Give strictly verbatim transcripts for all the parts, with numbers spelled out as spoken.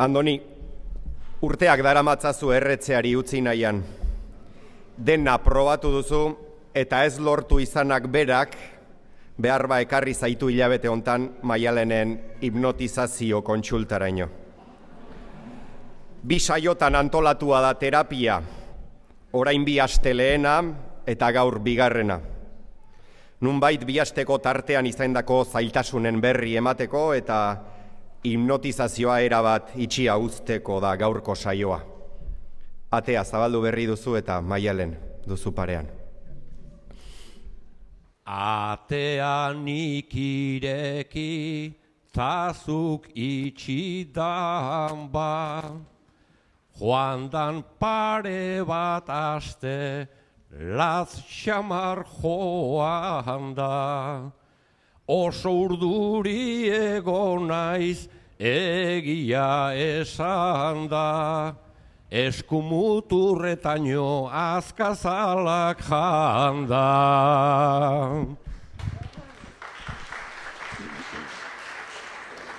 Andoni, urteak daramatzazu erretzeari utzi nahian. Dena probatu duzu eta ez lortu izanak berak behar ba ekarri zaitu hilabete hontan Maialenen hipnotizazio kontsultaraino. Bi saiotan antolatua da terapia, orain bi aste lehena eta gaur bigarrena. Nunbait bi asteko tartean izandako zailtasunen berri emateko eta hipnotizazioa erabat itxia uzteko da gaurko saioa. Atea zabaldu berri duzu eta Maialen duzu parean. Atean ikireki, tazuk itxidan ba, joandan pare bat aste, laz xamar joan da. Oso urduri egon naiz, egia esan da, eskumuturretaino azkazalak janda.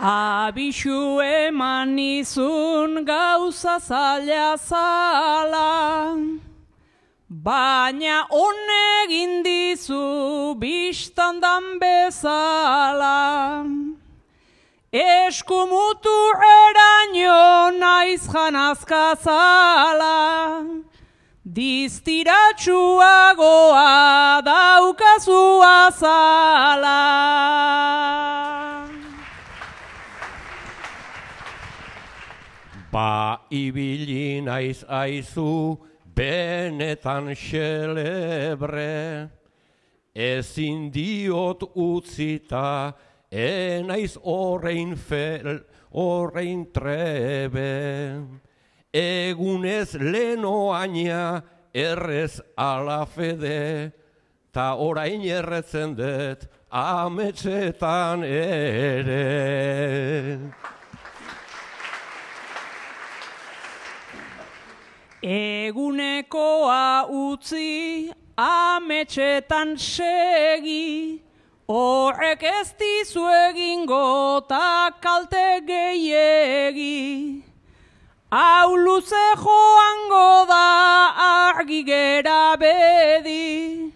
Abixu eman nizun gauza zaila zala, baina honegin dizu biztandan bezala. Eskumutu eraino naiz janazka zala, diztiratsuagoa daukazu azala. Ba ibili naiz aizu, benetan xelebre, ezin diot utzita, enaiz horrein fel, horrein trebe. Egunez lenoaina errez ala fede, ta orain erretzen dut ametsetan ere. Egunekoa utzi, ametsetan segi, horrek ez dizu egingo ta kalte gehiegi. Hau luze joango da argi gera bedi,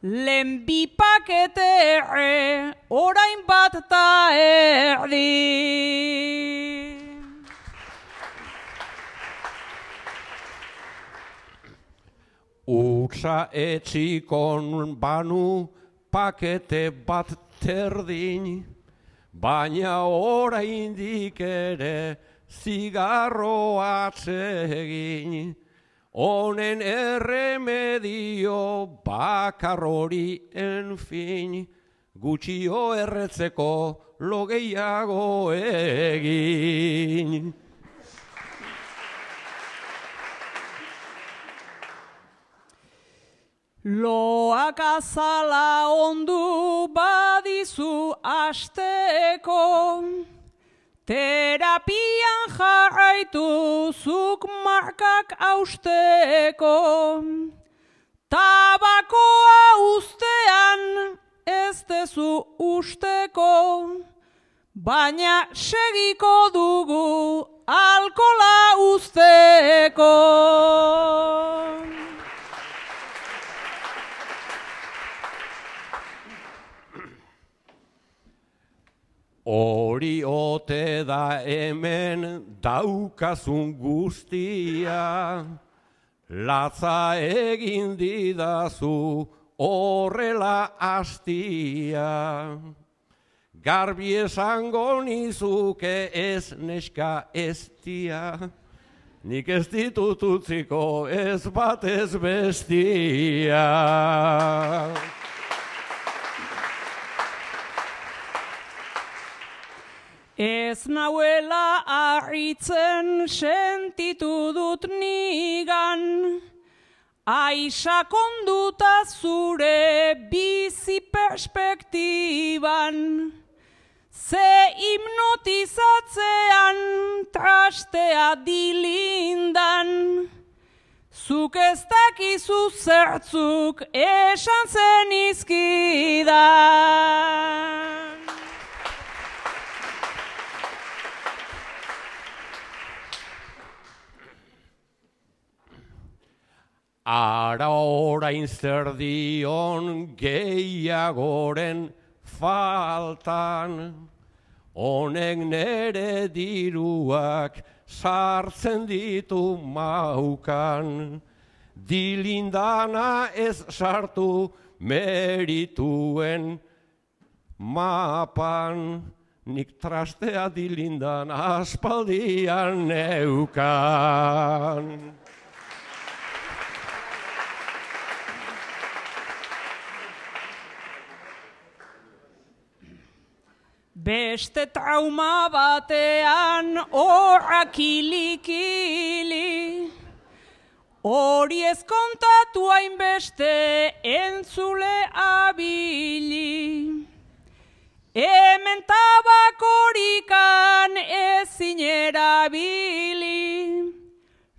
lehen bi pakete erre, orain bat ta erdi. Utsa etxikon banu pakete bat terdin, baina oraindik ere zigarro atsegin. Honen erremedio bakar hori enfin, gutxio erretzeko lo gehiago egin. Loak azala ondu badizu asteko, terapian jarraitu zuk markak austeko. Tabakoa uztean ez dezu usteko, baina segiko dugu alkola uzteko. Hori ote da hemen daukazun guztia, latza egin didazu horrela astia. Garbi esango nizuke ez neska ez dia, nik ez ditut utziko ez bat ez bestia. Ez nauela harritzen sentitu dut nigan, aixa konduta zure bizi perspektiban, ze hipnotizatzean trastea dilindan, zuk ez dakizu zertzuk esan zenizkidan. ara orain zer dion gehiagoren faltan, honek nere diruak sartzen ditu maukan, dilindana ez sartu merituen mapan, nik trastea dilindan aspaldian neukan. Beste trauma batean horra kilikili, hori ez kontatu hainbeste entzule abili. Hemen tabakorikan ezin erabili,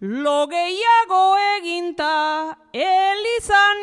lo gehiago eginta elizan